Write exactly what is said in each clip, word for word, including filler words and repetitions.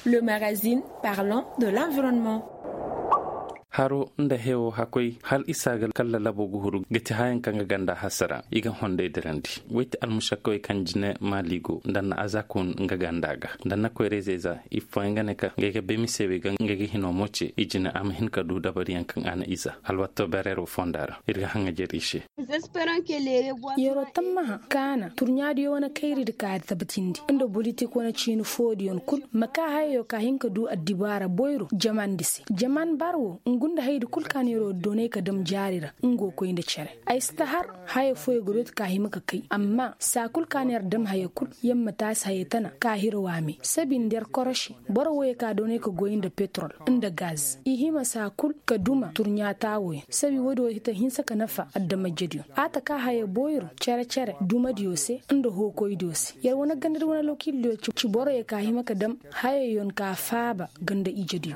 Le magazine parlant de l'environnement. Haro nda hewo hakoy hal isa ga kalla labo ga huru ga ti hayaŋ kaŋ ga ganda hasara i ga honday dirandi. Way ti almušakkawey kaŋ jine maali go nda na aza kun nga ganda ga nda na koyray zayza i fooyaŋ ga ne ka ngey ga bay mise wey ga ngey ga hino mo ce i jine a ma hin ka du dabariyaŋ kaŋ a na iza alwatto bereero fonda ra ir ga haŋajer i se. Yeroo tammaha kaana turɲaadiyo wane kayridi ka a tabatindi nda bolitik wane ciini foodiyoŋ kul ma kaa hayayo ka hin ka du addibaara boyro jamandi se jaman bar wo ngu nda hayadi kul ka na yeroo doonay ka dam jaari ra. Nga wo koy nda cere ay si ta har haya fooyo ga dooti ka hima ka kay amma saa kul ka na yer dam haya kul yer ma taasi haya tana ka hira waame sabi nda yer koroši boro wooyo ka doonay ka goy nda petrol nda gaz i hima saa kul ka duma turɲaata wooyo sabi woodi woo hita hinsa ka nafa adama-ijediyo a ta ka haya boyro cere-cere dumadiyo se nda hookoydiyo se yer wane gandadi wane lokiildiyo ci boroyo ka hima ka dam hayayoŋ ka faaba ganda-ijediyo.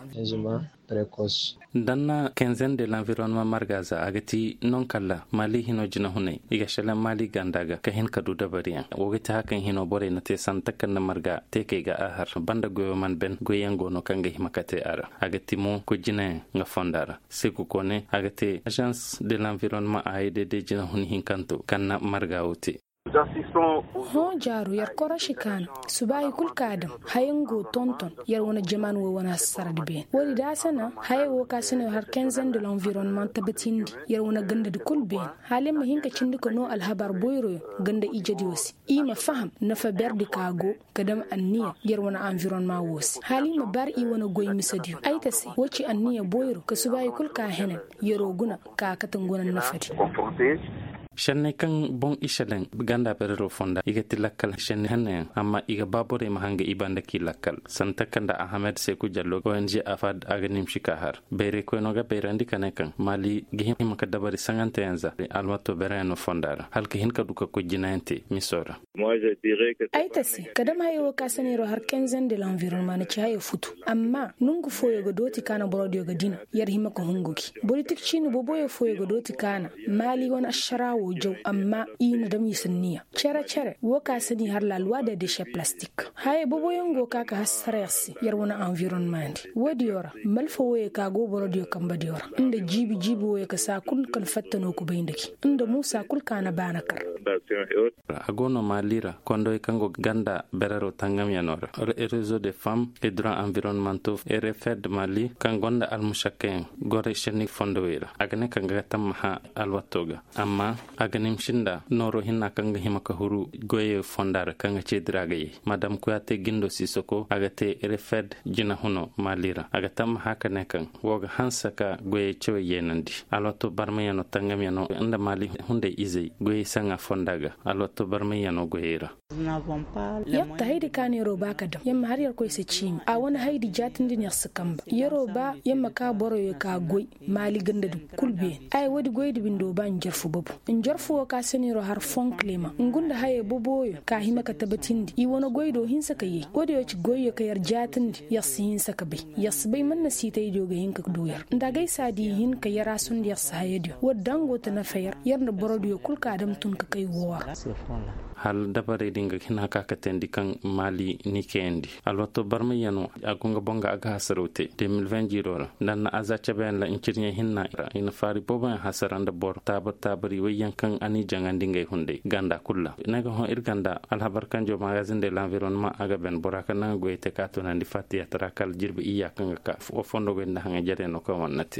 Danna kenzen de lanvironnement margaza a ga ti noŋ kalla maali hino jinahunay i ga šelaŋ maali ganda ga ka hin ka du dabariyaŋ woo ga ti hakaŋ hino borey na te santa kaŋ na marga te kay ga a har banda goyo man ben goyyaŋ go no kaŋ ga hima ka te a ra a ga ti mo koy jinayaŋ nga fonda ra seku kone a ga te agence de lanvironnement a ay dede jinahuni hinkanto kaŋ na marga wo te. Hõ jaaru yer koroši kaana subaahi kul ka a dam hayaŋ go tonton yer wane jaman wo wane hasaradi beene woodi da a se na haya wo ka se no yer har kenzen de lanvironnement tabatindi yer wane gandadi kul beene hala yer ma hin ka cindi ka noo alhabar boyroyo ganda ijediyo se i ma faham nafa berdi ka go ka dam anniya yer wane anvironnement wo se hala i ma bar i wane goy misediyo ay ta se wo ci anniya boyro ka subaahi kul ka a henen yeroo guna ka a kate ngu wane nafadi. Šenney kaŋ boŋ i šelaŋ ganda berero fonda i ga ti lakkal šenni hannayaŋ amma i ga ba borey ma hanga i banda k'i lakkal santa kaŋ nda ahamed seku jallo ong afad a ga nimsi ka har bayraykoyno ga bayrandi ka ne kaŋ maali ga hima ka dabari saŋanteyaŋ za alwato bereyaŋ no fonda ra hala ka hin ka du ka koy jinayaŋ te miso ra. Ay ta se ka dam haya wo ka se neero har kenzen de lanvironnement na ci haya futu amma nongu fooyo ga dooti ka na borodiyo ga dina yer hima ka hungu gi bolitik ciini boboyo fooyo ga dooti ka na maali wane ašara wo jaw amma i na dam i sanniya cere-cere wo ka se ni har la loi de deshe plastik haya boboyaŋ go ka ka hassara yer se yer wane anvironnement ndi woodiyo ra malfa wooyo ka go borodiyo kambadiyo ra nda jiibi-jiibi wooyo ka saa kul kaŋ fatta no kubay nda gi nda muusa kul ka na baana kar. A go no maali ra kondowey kaŋ go ganda berero tangamyano ra rezo de femme e dura anvironmento e refed maali kaŋ gonda almušakkayaŋ goray šenni fondowey ra a ga ne kaŋ ga tammaha alwatto ga amma a ga nimsi nda nooro hinna kaŋ ga hima ka huru goyey fonda ra kaŋ ga ceedi ra ga yay madam kuya te gindo sisoko a ga te refed jinahuno maali ra a ga tammaha ka ne kaŋ wo ga hanse ka goyey cawey yeenandi alwatto barmayano tangamyano nda maali hunday izey goyey saŋa fonda ga alwatto barmayano goyey ra. Yer ta haydi ka no yeroo ba ka dam yer ma har yer koy se ciimi a wane haydi jaatindi no yer si kamba yeroo ba yer ma ka boroyo ka goy maali gandadi kul beene ay woodi goydi bindo ba njarfu babu njarfu wo ka se no yeroo har fonkilema ngu nda hayey boboyo ka hima ka tabatindi i wane goy do hinsa ka yay woodiyo ci goyyo ka yer jaatindi yer si hinsa ka bay yer si bay man na siitaydiyo ga hin ka du yer nda agay saadi hin ka yer a sundi yer si hayadiyo woodi da ngo ta nafa yer yer nda borodiyo kul ka dam tun ka kay woo ra. Hal dabarey din ga hin haka ka teendi kaŋ maali ni kayandi alwato barmayyano a go nga boŋ ga a ga hasaraw te de mil vingt jiiro ra nda na aza cabeyaŋ ra ncirɲey hinna ra i na faari booboyaŋ hasara nda boro taabar taabari wayyaŋ kaŋ a n'i jaŋandi ngey hunday ganda kul ra ne ga hõ ir ganda alhabar kanjo magazin de lanvironnement a ga ben bora kaŋ na nga goyey te ka tunandi fattiyata ra kala jirbi iyya kaŋ ga ka wa fondo goy nda haŋay jarey no kaŋ wane na te.